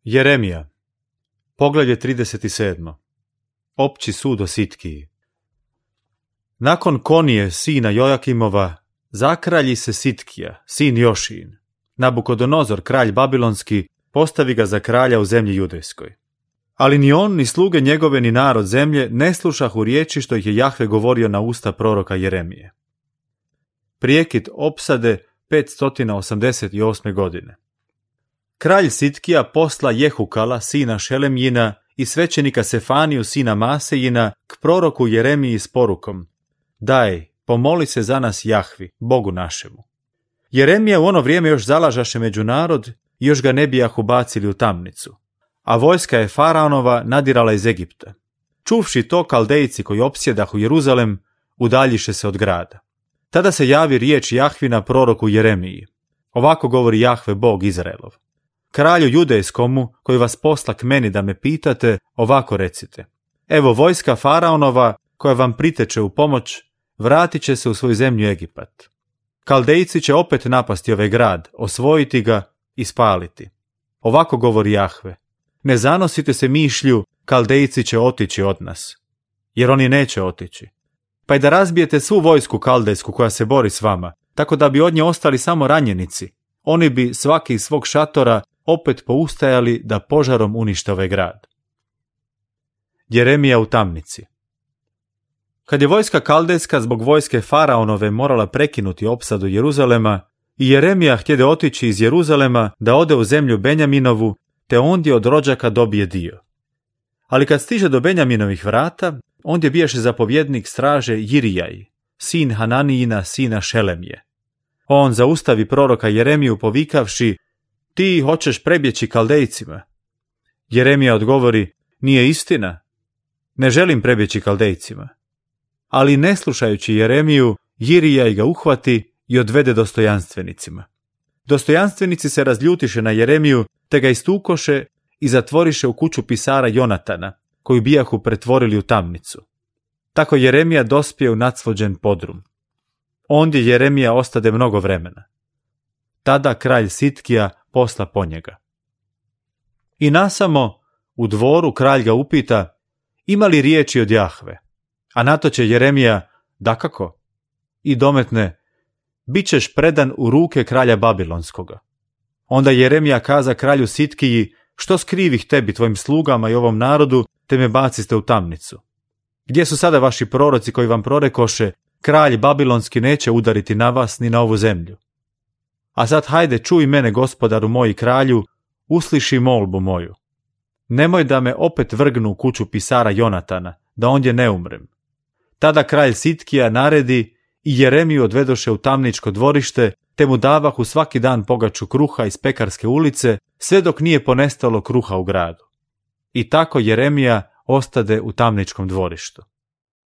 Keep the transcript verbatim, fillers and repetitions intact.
Jeremija, poglavlje trideset sedam. Opći sud o Sitkiji. Nakon Konije, sina Jojakimova, zakralji se Sitkija, sin Jošin. Nabukodonozor, kralj babilonski, postavi ga za kralja u zemlji judejskoj. Ali ni on, ni sluge njegove, ni narod zemlje ne slušahu riječi što ih je Jahve govorio na usta proroka Jeremije. Prijekid opsade petsto osamdeset osme. godine. Kralj Sitkija posla Jehukala, sina Šelemjina, i svećenika Sefaniju, sina Masejina, k proroku Jeremiji s porukom: Daj, pomoli se za nas Jahvi, Bogu našemu. Jeremija u ono vrijeme još zalažaše među narod i još ga ne bijahu bacili u tamnicu, a vojska je Faraonova nadirala iz Egipta. Čuvši to, Kaldejci koji opsjedahu Jeruzalem udaljiše se od grada. Tada se javi riječ Jahvina proroku Jeremiji. Ovako govori Jahve, Bog Izraelov: Kralju judejskomu, koji vas posla k meni da me pitate, ovako recite: Evo, vojska Faraonova, koja vam priteče u pomoć, vratit će se u svoju zemlju Egipat. Kaldejci će opet napasti ovaj grad, osvojiti ga i spaliti. Ovako govori Jahve: Ne zanosite se mišlju, Kaldejci će otići od nas, jer oni neće otići. Pa i da razbijete svu vojsku kaldejsku koja se bori s vama, tako da bi od nje ostali samo ranjenici, oni bi svaki iz svog šatora opet poustajali da požarom unište ovaj grad. Jeremija u tamnici. Kad je vojska kaldejska zbog vojske Faraonove morala prekinuti opsadu Jeruzalema i Jeremija htjede otići iz Jeruzalema da ode u zemlju Benjaminovu, te ondje od rođaka dobije dio. Ali kad stiže do Benjaminovih vrata, ondje bijaše zapovjednik straže Jirijaj, sin Hananijina, sina Šelemije. On zaustavi proroka Jeremiju povikavši: Ti hoćeš prebjeći Kaldejcima. Jeremija odgovori: Nije istina, ne želim prebjeći Kaldejcima. Ali ne slušajući Jeremiju, Jirijaj ga uhvati i odvede dostojanstvenicima. Dostojanstvenici se razljutiše na Jeremiju, te ga istukoše i zatvoriše u kuću pisara Jonatana, koju bijahu pretvorili u tamnicu. Tako Jeremija dospije u nadsvođen podrum. Ondje Jeremija ostade mnogo vremena. Tada kralj Sitkija posla po njega. I nasamo u dvoru kralj ga upita: Ima li riječi od Jahve? A na to će Jeremija: Dakako. I dometne: Bićeš predan u ruke kralja Babilonskoga. Onda Jeremija kaza kralju Sitkiji: Što skrivih tebi, tvojim slugama i ovom narodu, te me baciste u tamnicu? Gdje su sada vaši proroci koji vam prorekoše: Kralj Babilonski neće udariti na vas ni na ovu zemlju? A sad hajde, čuj mene, gospodaru moj kralju, usliši molbu moju. Nemoj da me opet vrgnu u kuću pisara Jonatana, da ondje ne umrem. Tada kralj Sitkija naredi i Jeremiju odvedoše u tamničko dvorište, te mu davahu svaki dan pogaču kruha iz pekarske ulice, sve dok nije ponestalo kruha u gradu. I tako Jeremija ostade u tamničkom dvorištu.